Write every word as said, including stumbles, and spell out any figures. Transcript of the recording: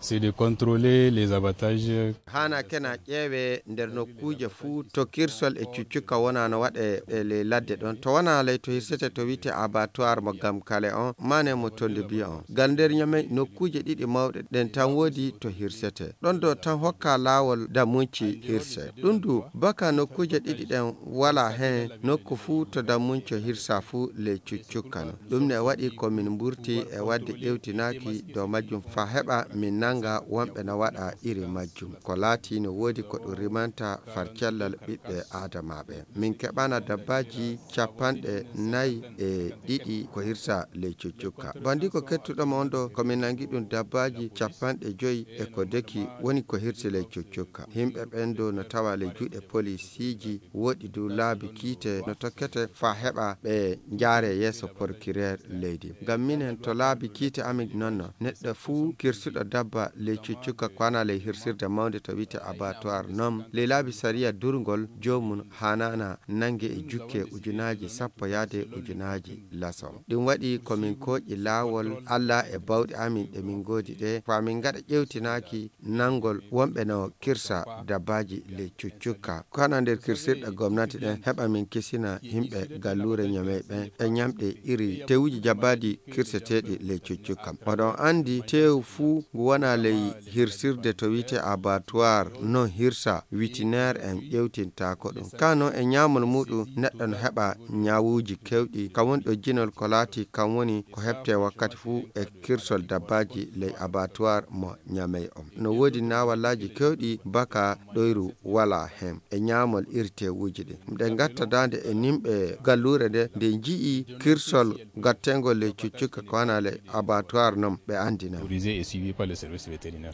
C'est de contrôler les abattages. Haana kena ƴeewe nder nokkuuje fuu to kirsol e cuccukka wona no waɗe e ley ladde ɗon. To wona ley to hirsete to wi'ete abattoir mo Gamkale on, mane mo Tonde Biya on. Ngal nder Ñamey nokkuuje ɗiɗi mawɗe ɗen tan woodi to hirsete. Ɗon ɗo tan hokka laawol dammunci hirse. Ɗum du baka nokkuuje ɗiɗi ɗen wala hen nokku fuu to dammunco hirsa fuu ley cuccukka non. Ɗum ne waɗi ko min mburti e waɗde ƴewtinaaki dow majjum faa heɓa min nanga wonɓe na waɗa iri majjum. Ko laati no woodi ko ɗum rimanta far cellal ɓiɓɓe Aadamaaɓe. Min keɓana dabbaaji capanɗe nayi e ɗiɗi ko hirsa ley cuccukka. Bandi ko kettuɗo mo on ɗo, ko min nangi ɗum dabbaaji capanɗe joyi e ko deki woni ko hirsi ley cuccukka. Himɓe ɓen ɗo no tawa ley juuɗe polisiiji, woɗi du laabi kiite no tokkete faa heɓa ɓe njaare yeeso porkireer leydi. Ngam minen to laabi kiite amin non no, neɗɗo fuu kirsuɗo dabba ley cuccukka ko wona ley hirsirde mawnde to wi'ete abattoir non, ley laabi sariya durngol joomum haanana nange e jukke ujunaaji sappo yaade ujunaaji laso. Ɗum waɗi ko min kooƴi laawol Alla e bawɗe amin ɗe min ngoodi ɗe, faa min ngaɗa ƴewtinaaki nangol wonɓe no kirsa dabbaaji ley cuccukka. Ko hana nder kirsirɗe gomnati ɗen heɓa min kisina yimɓe galluure Ñamey ɓen e ñamɗe iri tewuji jabbaadi kirseteeɗi ley cuccukka. Oɗon anndi teewu fuu ngu wona ley hirsirde to wi'ete abattoir non hirsa witineer en ƴewtintaako ɗum. Kaa non e ñaamol muuɗum neɗɗo no heɓa ñaawuuji kewɗi, kam woni ɗojjinol ko laati kam woni ko heɓtee wakkati fuu e kirsol dabbaaji ley abattoir mo Ñamey on. No woodi naawallaaji kewɗi baka ɗoyru wala hen e ñaamol iri teewuji ɗin. Nde ngatta daande e nimɓe galluure nde, nde nji'i kirsol gattengol ley cuccukka ko wona ley abattoir non ɓe anndina. Autorisé et suivi par le service vétérinaire.